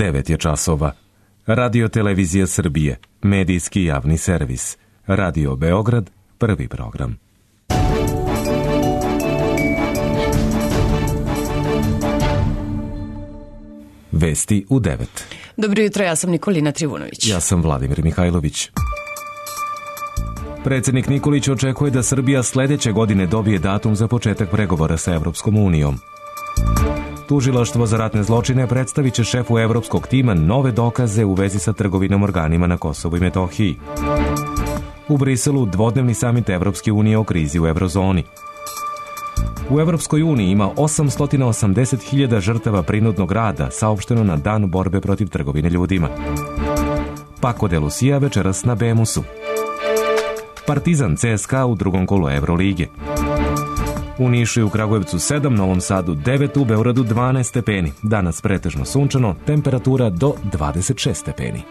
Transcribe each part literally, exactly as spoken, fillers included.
devet je časova. Radio Televizija Srbije, medijski javni servis. Radio Beograd, prvi program. Vesti u devet. Dobro jutro, ja sam Nikolina Trivunović. Ja sam Vladimir Mihajlović. Predsjednik Nikolić očekuje da Srbija sledeće godine dobije datum za početak pregovora sa Evropskom unijom. Tužilaštvo za ratne zločine predstavit će šefu evropskog tima nove dokaze u vezi sa trgovinom organima na Kosovu i Metohiji. U Briselu dvodnevni samit Evropske unije o krizi u eurozoni. U Evropskoj uniji ima osamsto osamdeset hiljada žrtava prinudnog rada, saopšteno na dan borbe protiv trgovine ljudima. Paco de Lucia večeras na Bemusu. Partizan C S K A u drugom kolu Evrolige. U Nišu i u Kragujevcu sedam, Novom Sadu devet, u Beogradu dvanaest stepeni. Danas pretežno sunčano, temperatura do dvadeset šest stepeni.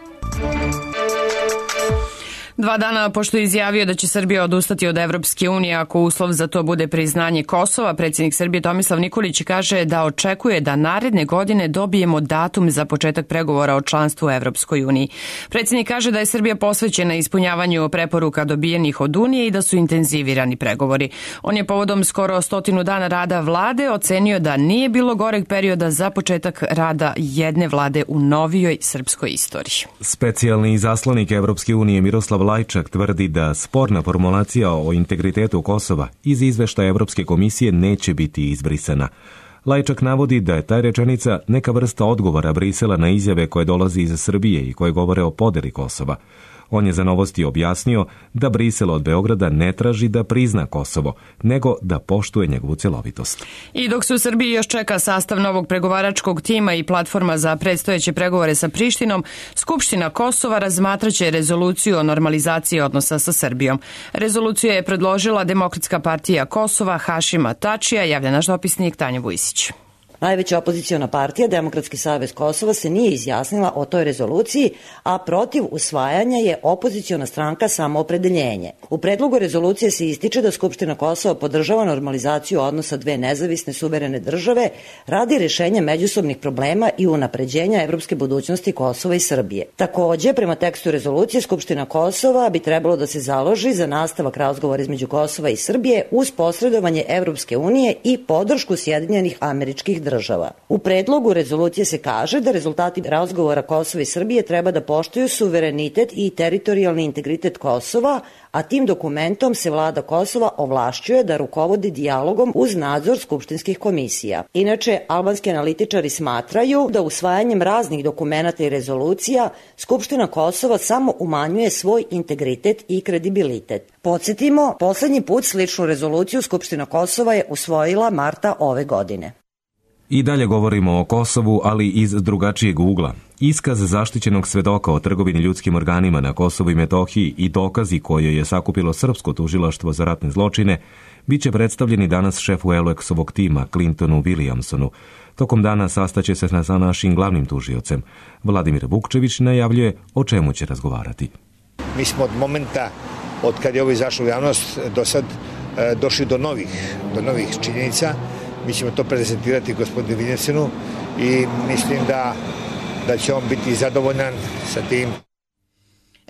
Dva dana pošto je izjavio da će Srbija odustati od Evropske unije ako uslov za to bude priznanje Kosova, predsjednik Srbije Tomislav Nikolić kaže da očekuje da naredne godine dobijemo datum za početak pregovora o članstvu u Evropskoj uniji. Predsjednik kaže da je Srbija posvećena ispunjavanju preporuka dobijenih od Unije i da su intenzivirani pregovori. On je povodom skoro stotinu dana rada vlade ocenio da nije bilo goreg perioda za početak rada jedne vlade u novijoj srpskoj istoriji. Specijalni izaslanik Evropske unije Miroslav Lajčak tvrdi da sporna formulacija o integritetu Kosova iz izveštaja Evropske komisije neće biti izbrisana. Lajčak navodi da je ta rečenica neka vrsta odgovora Brisela na izjave koje dolazi iz Srbije i koje govore o podeli Kosova. On je za Novosti objasnio da Brisel od Beograda ne traži da prizna Kosovo, nego da poštuje njegovu celovitost. I dok se u Srbiji još čeka sastav novog pregovaračkog tima i platforma za predstojeće pregovore sa Prištinom, Skupština Kosova razmatraće rezoluciju o normalizaciji odnosa sa Srbijom. Rezoluciju je predložila Demokratska partija Kosova Hašima Tačija, javlja naš dopisnik Tanja Vujsić. Najveća opoziciona partija, Demokratski savez Kosova, se nije izjasnila o toj rezoluciji, a protiv usvajanja je opoziciona stranka Samoopredeljenje. U predlogu rezolucije se ističe da Skupština Kosova podržava normalizaciju odnosa dve nezavisne suverene države radi rešenja međusobnih problema i unapređenja evropske budućnosti Kosova i Srbije. Takođe, prema tekstu rezolucije, Skupština Kosova bi trebalo da se založi za nastavak razgovora između Kosova i Srbije uz posredovanje Evropske unije i podršku Sjedinjenih Američkih država. država. U predlogu rezolucije se kaže da rezultati razgovora Kosova i Srbije treba da poštuju suverenitet i teritorijalni integritet Kosova, a tim dokumentom se vlada Kosova ovlašćuje da rukovodi dijalogom uz nadzor skupštinskih komisija. Inače, albanski analitičari smatraju da usvajanjem raznih dokumenata i rezolucija Skupština Kosova samo umanjuje svoj integritet i kredibilitet. Podsjetimo, poslednji put sličnu rezoluciju Skupština Kosova je usvojila marta ove godine. I dalje govorimo o Kosovu, ali iz drugačijeg ugla. Iskaz zaštićenog svedoka o trgovini ljudskim organima na Kosovu i Metohiji i dokazi koje je sakupilo Srpsko tužilaštvo za ratne zločine biće predstavljeni danas šefu Eulexovog tima Clintonu Williamsonu. Tokom dana sastaće se sa našim glavnim tužiocem. Vladimir Vukčević najavljuje o čemu će razgovarati. Mi smo od momenta od kad je ovo izašlo u javnost do sad e, došli do novih, do novih činjenica. Mi ćemo to prezentirati gospodinu Williamsonu i mislim da, da će on biti zadovoljan sa tim.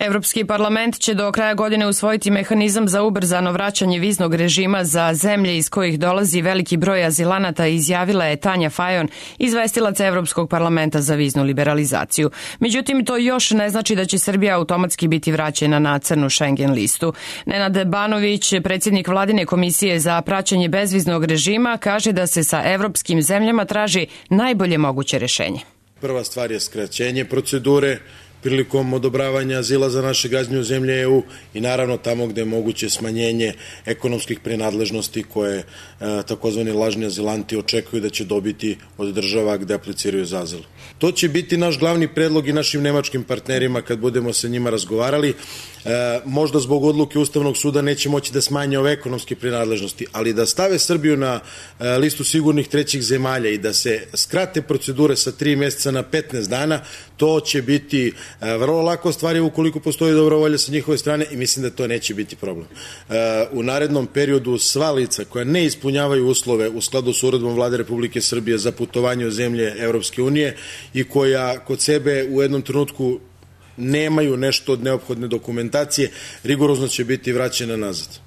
Evropski parlament će do kraja godine usvojiti mehanizam za ubrzano vraćanje viznog režima za zemlje iz kojih dolazi veliki broj azilanata, izjavila je Tanja Fajon, izvestilac Evropskog parlamenta za viznu liberalizaciju. Međutim, to još ne znači da će Srbija automatski biti vraćena na crnu Schengen listu. Nenad Banović, predsjednik Vladine komisije za praćenje bezviznog režima, kaže da se sa evropskim zemljama traži najbolje moguće rešenje. Prva stvar je skraćenje procedure prilikom odobravanja azila za naše građane u zemlje E U i naravno tamo gde je moguće smanjenje ekonomskih prenadležnosti koje e, takozvani lažni azilanti očekuju da će dobiti od država gde apliciraju za azil. To će biti naš glavni predlog i našim nemačkim partnerima kad budemo sa njima razgovarali. E, možda zbog odluke Ustavnog suda neće moći da smanje ove ekonomske prenadležnosti, ali da stave Srbiju na e, listu sigurnih trećih zemalja i da se skrate procedure sa tri meseca na petnaest dana, to će biti vrlo lako stvari ukoliko postoji dobra volja sa njihove strane i mislim da to neće biti problem. U narednom periodu sva lica koja ne ispunjavaju uslove u skladu s uredbom Vlade Republike Srbije za putovanje u zemlje Evropske unije i koja kod sebe u jednom trenutku nemaju nešto od neophodne dokumentacije, rigorozno će biti vraćena nazad.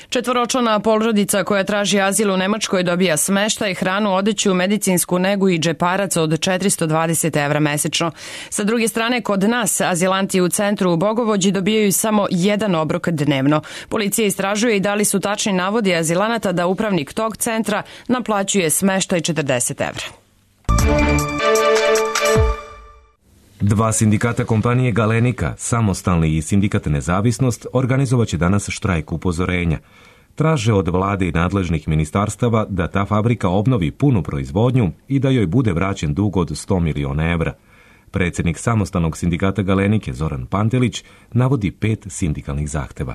Četvoročlana porodica koja traži azil u Nemačkoj dobija smeštaj, hranu, odeću, medicinsku negu i džeparac od četiristo dvadeset evra mesečno. Sa druge strane, kod nas azilanti u centru u Bogovođi dobijaju samo jedan obrok dnevno. Policija istražuje i da li su tačni navodi azilanata da upravnik tog centra naplaćuje smeštaj četrdeset evra. Dva sindikata kompanije Galenika, Samostalni i Sindikat Nezavisnost, organizovaće danas štrajk upozorenja. Traže od vlade i nadležnih ministarstava da ta fabrika obnovi punu proizvodnju i da joj bude vraćen dug od sto miliona evra. Predsjednik Samostalnog sindikata Galenike Zoran Pantelić navodi pet sindikalnih zahteva.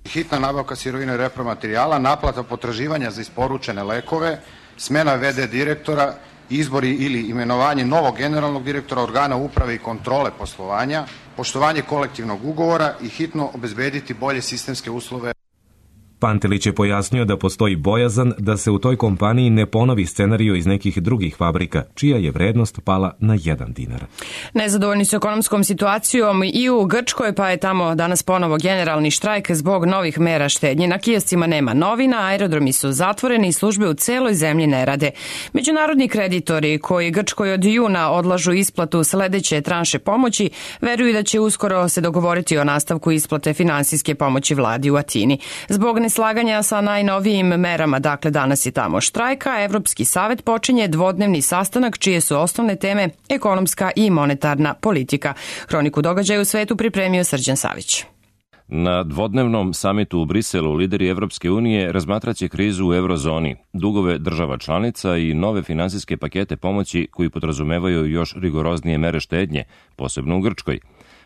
Hitna nabavka sirovine i repromaterijala, naplata potraživanja za isporučene lekove, smena ve de direktora, izbori ili imenovanje novog generalnog direktora organa uprave i kontrole poslovanja, poštovanje kolektivnog ugovora i hitno obezbediti bolje sistemske uslove. Pantelić je pojasnio da postoji bojazan da se u toj kompaniji ne ponovi scenarijo iz nekih drugih fabrika, čija je vrednost pala na jedan dinar. Nezadovoljni su ekonomskom situacijom i u Grčkoj, pa je tamo danas ponovo generalni štrajk zbog novih mera štednje. Na kioscima nema novina, aerodromi su zatvoreni i službe u celoj zemlji ne rade. Međunarodni kreditori koji Grčkoj od juna odlažu isplatu sledeće tranše pomoći, veruju da će uskoro se dogovoriti o nastavku isplate finansijske pomoći vladi u Atini. Zbog neslaganja sa najnovijim merama, dakle danas je tamo štrajka, Evropski savet počinje dvodnevni sastanak čije su osnovne teme ekonomska i monetarna politika. Hroniku događaja u svetu pripremio Srđan Savić. Na dvodnevnom samitu u Briselu lideri Evropske unije razmatraće krizu u eurozoni, dugove država članica i nove finansijske pakete pomoći koji podrazumevaju još rigoroznije mere štednje, posebno u Grčkoj.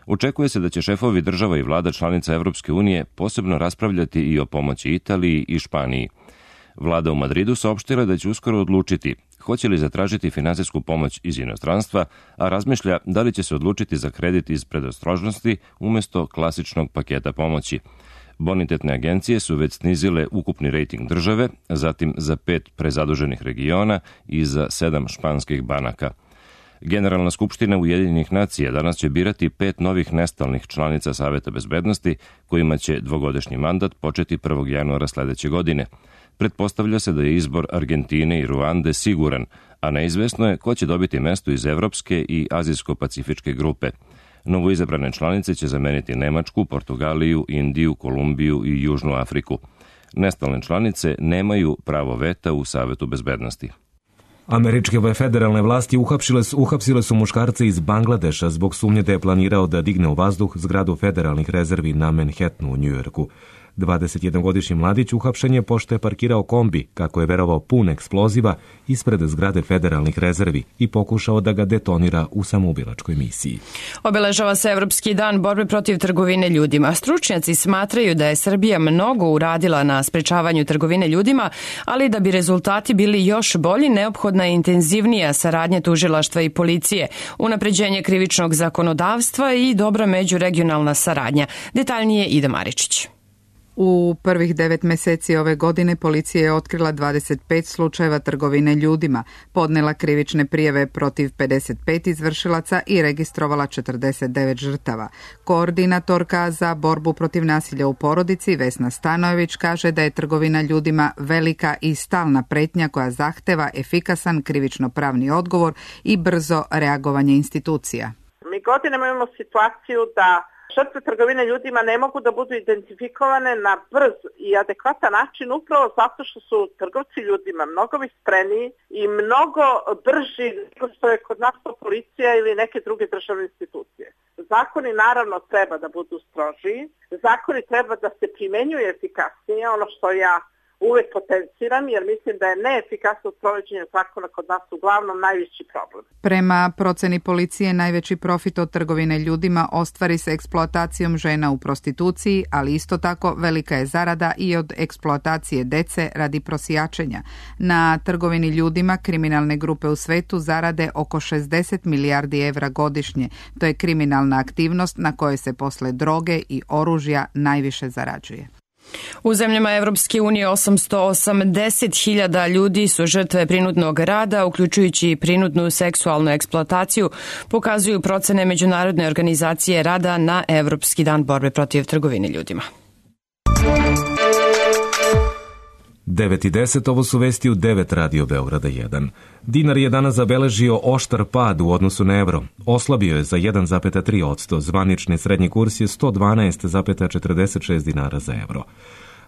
Očekuje se da će šefovi država i vlada članica Evropske unije posebno raspravljati i o pomoći Italiji i Španiji. Vlada u Madridu saopštila da će uskoro odlučiti hoće li zatražiti finansijsku pomoć iz inostranstva, a razmišlja da li će se odlučiti za kredit iz predostrožnosti umjesto klasičnog paketa pomoći. Bonitetne agencije su već snizile ukupni rejting države, zatim za pet prezaduženih regiona i za sedam španskih banaka. Generalna skupština Ujedinjenih nacija danas će birati pet novih nestalnih članica Saveta bezbednosti, kojima će dvogodišnji mandat početi prvog januara sledeće godine. Pretpostavlja se da je izbor Argentine i Ruande siguran, a neizvesno je ko će dobiti mesto iz Evropske i Azijsko-pacifičke grupe. Novoizabrane članice će zameniti Nemačku, Portugaliju, Indiju, Kolumbiju i Južnu Afriku. Nestalne članice nemaju pravo veta u Savetu bezbednosti. Američke federalne vlasti uhapsile su, uhapsile su muškarca iz Bangladeša zbog sumnje da je planirao da digne u vazduh zgradu federalnih rezervi na Manhattanu u Njujorku. dvadesetjednogodišnji mladić uhapšen je pošto je parkirao kombi, kako je verovao pun eksploziva, ispred zgrade federalnih rezervi i pokušao da ga detonira u samoubilačkoj misiji. Obeležava se Evropski dan borbe protiv trgovine ljudima. Stručnjaci smatraju da je Srbija mnogo uradila na sprečavanju trgovine ljudima, ali da bi rezultati bili još bolji, neophodna je intenzivnija saradnja tužilaštva i policije, unapređenje krivičnog zakonodavstva i dobra međuregionalna saradnja. Detaljnije Ida Maričić. U prvih devet meseci ove godine policija je otkrila dvadeset pet slučajeva trgovine ljudima, podnela krivične prijave protiv pedeset pet izvršilaca i registrovala četrdeset devet žrtava. Koordinatorka za borbu protiv nasilja u porodici Vesna Stanojević kaže da je trgovina ljudima velika i stalna pretnja koja zahteva efikasan krivično-pravni odgovor i brzo reagovanje institucija. Mi godinama imamo situaciju da žrtve trgovine ljudima ne mogu da budu identifikovane na brz i adekvatan način upravo zato što su trgovci ljudima mnogo vispreniji i mnogo brži nego što je kod nas to policija ili neke druge državne institucije. Zakoni naravno treba da budu strožiji, zakoni treba da se primenjuju efikasnije, ono što ja uvek potenciram jer mislim da je neefikasno sprovođenje zakona kod nas uglavnom najveći problem. Prema proceni policije najveći profit od trgovine ljudima ostvari se eksploatacijom žena u prostituciji, ali isto tako velika je zarada i od eksploatacije dece radi prosjačenja. Na trgovini ljudima kriminalne grupe u svetu zarade oko šezdeset milijardi evra godišnje. To je kriminalna aktivnost na kojoj se posle droge i oružja najviše zarađuje. U zemljama Evropske unije osamsto osamdeset hiljada ljudi su žrtve prinudnog rada, uključujući prinudnu seksualnu eksploataciju, pokazuju procene Međunarodne organizacije rada na Evropski dan borbe protiv trgovine ljudima. devet i deset, ovo su vesti u devet Radio Beograda jedan. Dinar je danas zabeležio oštar pad u odnosu na evro. Oslabio je za jedan zarez tri posto, zvanični srednji kurs je sto dvanaest zarez četrdeset šest dinara za evro.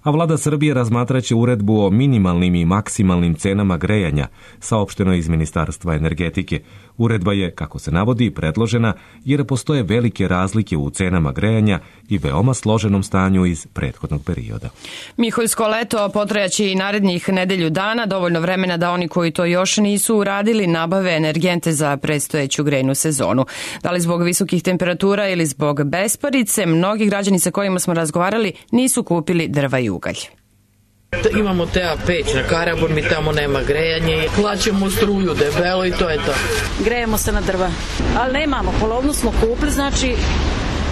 A vlada Srbije razmatraće uredbu o minimalnim i maksimalnim cenama grejanja, saopšteno iz Ministarstva energetike. Uredba je, kako se navodi, predložena jer postoje velike razlike u cenama grejanja i veoma složenom stanju iz prethodnog perioda. Miholjsko leto potrajaće i narednih nedelju dana, dovoljno vremena da oni koji to još nisu uradili nabave energente za predstojeću grejnu sezonu. Da li zbog visokih temperatura ili zbog besparice, mnogi građani sa kojima smo razgovarali nisu kupili drva i ugalj. Imamo te peć na Karabor, mi tamo nema grejanje, plaćamo struju debelo i to je to. Grejemo se na drva, ali nemamo, polovnu smo kupili, znači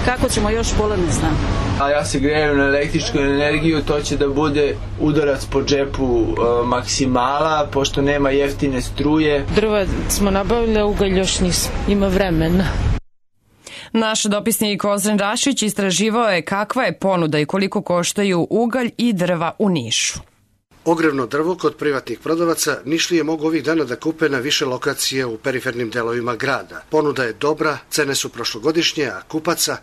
kako ćemo još pola ne znam. A ja se grejem na električku energiju, to će da bude udarac po džepu e, maksimala, pošto nema jeftine struje. Drva smo nabavili, ugalj još nismo, ima vremena. Naš dopisnik Ozren Rašić istraživao je kakva je ponuda i koliko koštaju ugalj i drva u Nišu. Ogrevno drvo kod privatnih prodavaca Nišlije mogu ovih dana da kupe na više lokacije u perifernim delovima grada. Ponuda je dobra, cene su prošlogodišnje, a kupaca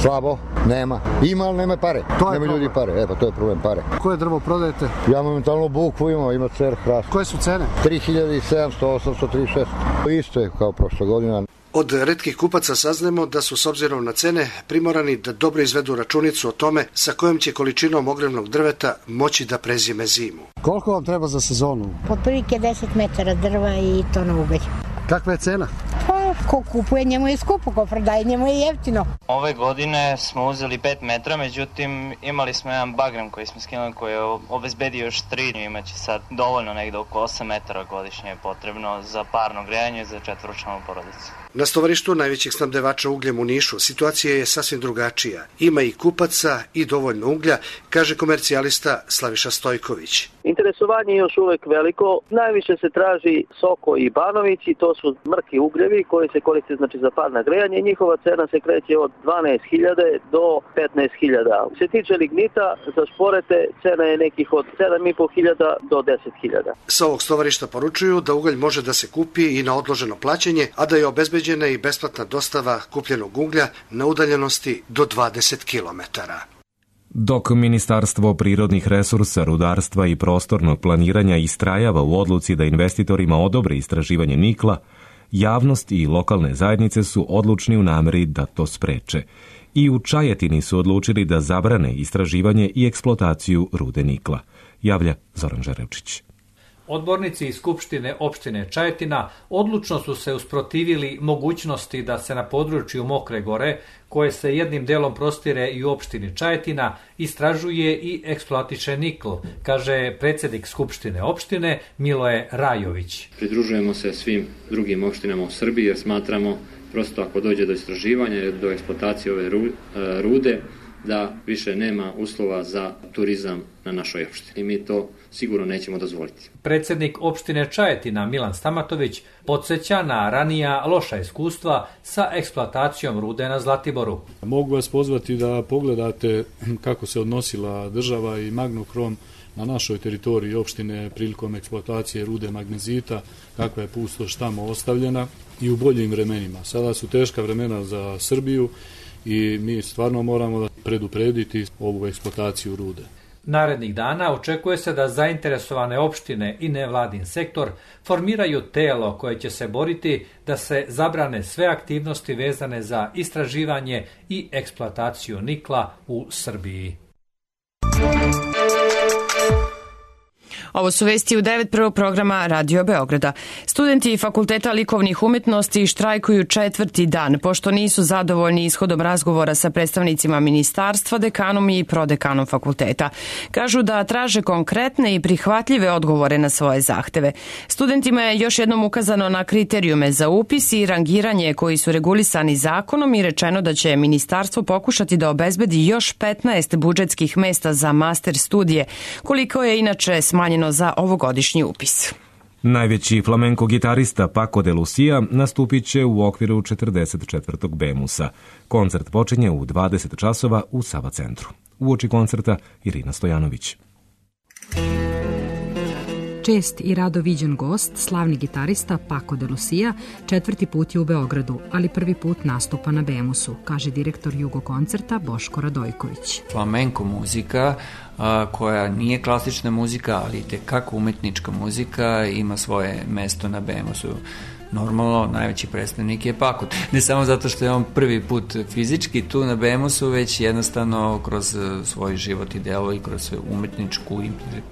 slabo, nema. Ima, ali nema pare. Nema ljudi pare. E, pa to je problem pare. Koje drvo prodajete? Ja momentalno bukvu imam, ima cer hrast. Koje su cene? tri hiljade sedamsto, osamsto, tri hiljade šesto. Isto je kao prošle godine. Od retkih kupaca saznemo da su s obzirom na cene primorani da dobro izvedu računicu o tome sa kojom će količinom ogrevnog drveta moći da prezime zimu. Koliko vam treba za sezonu? Po prilike deset metara drva i to na ugalj. Kakva je cena? Pa, ko kupuje njemu je skupo, ko prodaje njemu je jeftino. Ove godine smo uzeli pet metra, međutim imali smo jedan bagram koji smo skinuli koji je obezbedio još tri, imaće sad dovoljno negde oko osam metara godišnje je potrebno za parno grejanje i za četvoročlanu porodicu. Na stovarištu najvećih snabdevača ugljem u Nišu situacija je sasvim drugačija. Ima i kupaca i dovoljno uglja, kaže komercijalista Slaviša Stojković. Interesovanje je još uvek veliko. Najviše se traži Soko i Banovići, to su mrki ugljevi koji se koriste znači za parno grejanje. Njihova cena se kreće od dvanaest hiljada do petnaest hiljada. Se tiče lignita, za šporete cena je nekih od sedam i po hiljada do deset hiljada. Sa ovog stovarišta poručuju da ugalj može da se kupi i na odloženo plaćanje, a da je obezbeđena i besplatna dostava kupljenog uglja na udaljenosti do dvadeset kilometara. Dok Ministarstvo prirodnih resursa, rudarstva i prostornog planiranja istrajava u odluci da investitorima odobre istraživanje nikla, javnost i lokalne zajednice su odlučni u nameri da to spreče. I u Čajetini su odlučili da zabrane istraživanje i eksploataciju rude nikla, javlja Zoran Žarevčić. Odbornici iz Skupštine opštine Čajetina odlučno su se usprotivili mogućnosti da se na području Mokre Gore, koje se jednim delom prostire i u opštini Čajetina, istražuje i eksploatiše nikl, kaže predsjednik Skupštine opštine Miloje Rajović. Pridružujemo se svim drugim opštinama u Srbiji jer smatramo prosto ako dođe do istraživanja, do eksploatacije ove rude, da više nema uslova za turizam na našoj opštini. I mi to sigurno nećemo dozvoliti. Predsjednik opštine Čajetina Milan Stamatović podsjeća na ranija loša iskustva sa eksploatacijom rude na Zlatiboru. Mogu vas pozvati da pogledate kako se odnosila država i Magnokrom na našoj teritoriji opštine prilikom eksploatacije rude magnezita, kakva je pustoš tamo ostavljena i u boljim vremenima. Sada su teška vremena za Srbiju i mi stvarno moramo da preduprediti ovu eksploataciju rude. Narednih dana očekuje se da zainteresovane opštine i nevladin sektor formiraju telo koje će se boriti da se zabrane sve aktivnosti vezane za istraživanje i eksploataciju nikla u Srbiji. Ovo su vesti u devet prvog programa Radio Beograda. Studenti Fakulteta likovnih umetnosti štrajkuju četvrti dan, pošto nisu zadovoljni ishodom razgovora sa predstavnicima ministarstva, dekanom i prodekanom fakulteta. Kažu da traže konkretne i prihvatljive odgovore na svoje zahteve. Studentima je još jednom ukazano na kriterijume za upis i rangiranje koji su regulisani zakonom i rečeno da će ministarstvo pokušati da obezbedi još petnaest budžetskih mesta za master studije, koliko je inače smanjeno za ovogodišnji upis. Najveći flamenko gitarista Paco de Lucia nastupit će u okviru četrdeset četvrtog Bemusa. Koncert počinje u dvadeset časova u Sava centru. Uoči koncerta Irina Stojanović. Čest i rado viđen gost, slavni gitarista Paco de Lucia, četvrti put je u Beogradu, ali prvi put nastupa na Bemusu, kaže direktor Jugo koncerta Boško Radojković. Flamenko muzika, a, koja nije klasična muzika, ali itekako umetnička muzika, ima svoje mesto na Bemusu. Normalno, najveći predstavnik je Paco. Ne samo zato što je on prvi put fizički tu na Bemusu, već jednostavno kroz svoj život i delo i kroz umetničku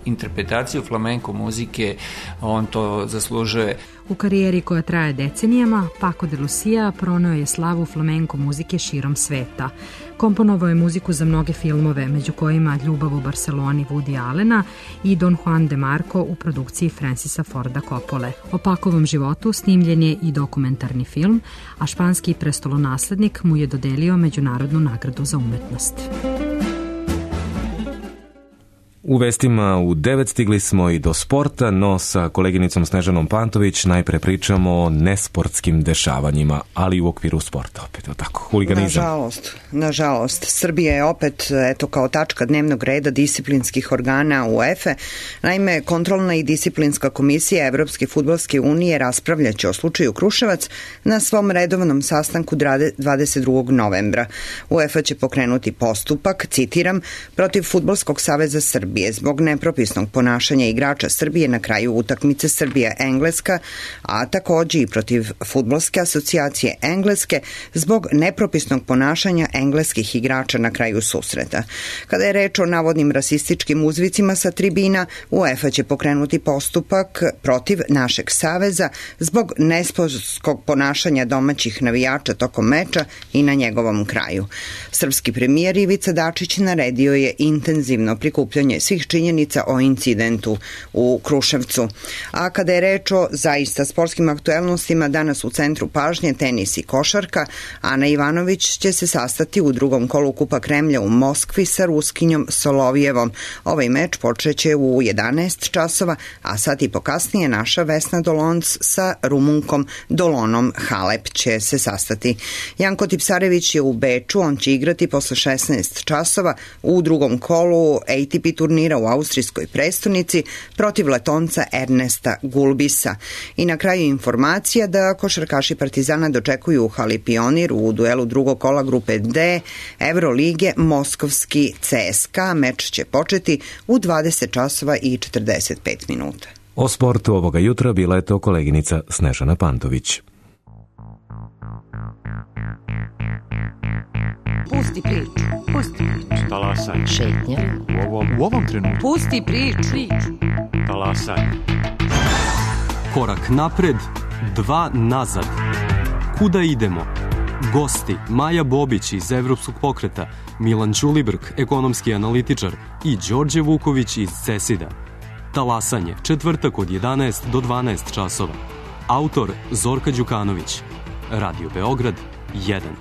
interpretaciju flamenko muzike on to zaslužuje. U karijeri koja traje decenijama, Paco de Lucia proneo je slavu flamenko muzike širom sveta. Komponovao je muziku za mnoge filmove, među kojima Ljubav u Barceloni Woody Allena i Don Juan de Marco u produkciji Francisa Forda Coppole. O Pacovom životu snimljen je i dokumentarni film, a španski prestolonaslednik mu je dodelio Međunarodnu nagradu za umetnost. U vestima u devet stigli smo i do sporta, no sa koleginicom Snežanom Pantović najpre pričamo o nesportskim dešavanjima, ali u okviru sporta opet, o tako, huliganizam. Nažalost, nažalost, Srbija je opet, eto, kao tačka dnevnog reda disciplinskih organa UEFA. Naime, kontrolna i disciplinska komisija Evropske fudbalske unije raspravljaće o slučaju Kruševac na svom redovnom sastanku dvadeset drugog novembra. UEFA će pokrenuti postupak, citiram, protiv Fudbalskog saveza Srbije zbog nepropisnog ponašanja igrača Srbije na kraju utakmice Srbija-Engleska, a takođe i protiv Fudbalske asocijacije Engleske zbog nepropisnog ponašanja engleskih igrača na kraju susreta. Kada je reč o navodnim rasističkim uzvicima sa tribina, UEFA će pokrenuti postupak protiv našeg saveza zbog nesportskog ponašanja domaćih navijača tokom meča i na njegovom kraju. Srpski premijer Ivica Dačić naredio je intenzivno prikupljanje svih činjenica o incidentu u Kruševcu. A kada je reč o zaista sportskim aktuelnostima, danas u centru pažnje tenis i košarka, Ana Ivanović će se sastati u drugom kolu Kupa Kremlja u Moskvi sa Ruskinjom Solovijevom. Ovaj meč počeće u jedanaest časova, a sat i pokasnije naša Vesna Dolonc sa Rumunkom Dolonom Halep će se sastati. Janko Tipsarević je u Beču, on će igrati posle šesnaest časova u drugom kolu A T P turnira u austrijskoj prestonici protiv Letonca Ernesta Gulbisa. I na kraju informacija da košarkaši Partizana dočekuju u hali Pionir u duelu drugog kola grupe D Evrolige Moskovski C S K A. Meč će početi u dvadeset časova i četrdeset pet minuta. O sportu ovoga jutra bila je to koleginica Snežana Pantović. Pusti priču, pusti priču. Talasaj. Šetnja. U ovom, u ovom trenutku. Pusti priču. Talasaj. Korak napred, dva nazad. Kuda idemo? Gosti Maja Bobić iz Evropskog pokreta, Milan Ćulibrk, ekonomski analitičar i Đorđe Vuković iz CESID-a. Talasanje, četvrtak od jedanaest do dvanaest časova. Autor Zorka Đukanović. Radio Beograd jedan.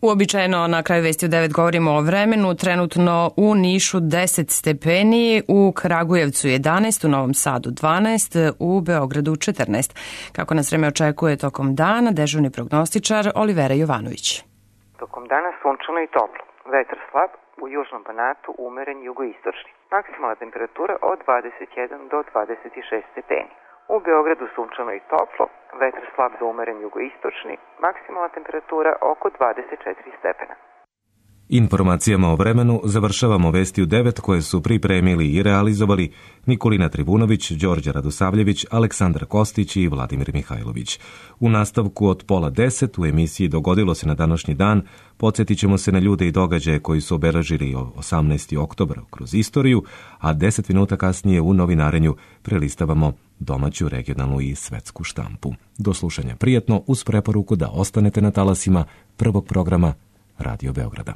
Uobičajeno na kraju vesti u devet govorimo o vremenu. Trenutno u Nišu deset stepeni, u Kragujevcu jedanaest, u Novom Sadu dvanaest, u Beogradu četrnaest. Kako nas vreme očekuje tokom dana, dežurni prognostičar Olivera Jovanović. Tokom dana sunčano i toplo. Vetar slab, u južnom Banatu umeren jugoistočni. Maksimalna temperatura od dvadeset jedan do dvadeset šest stepeni. U Beogradu sunčano i toplo, vetar slab do umeren jugoistočni, maksimalna temperatura oko dvadeset četiri stepena. Informacijama o vremenu završavamo vesti u devet koje su pripremili i realizovali Nikolina Tribunović, Đorđe Radosavljević, Aleksandar Kostić i Vladimir Mihajlović. U nastavku od pola deset u emisiji Dogodilo se na današnji dan podsjetit ćemo se na ljude i događaje koji su obeležili osamnaesti oktobar kroz istoriju, a deset minuta kasnije u novinarenju prelistavamo domaću, regionalnu i svetsku štampu. Do slušanja prijatno uz preporuku da ostanete na talasima prvog programa Radio Beograda.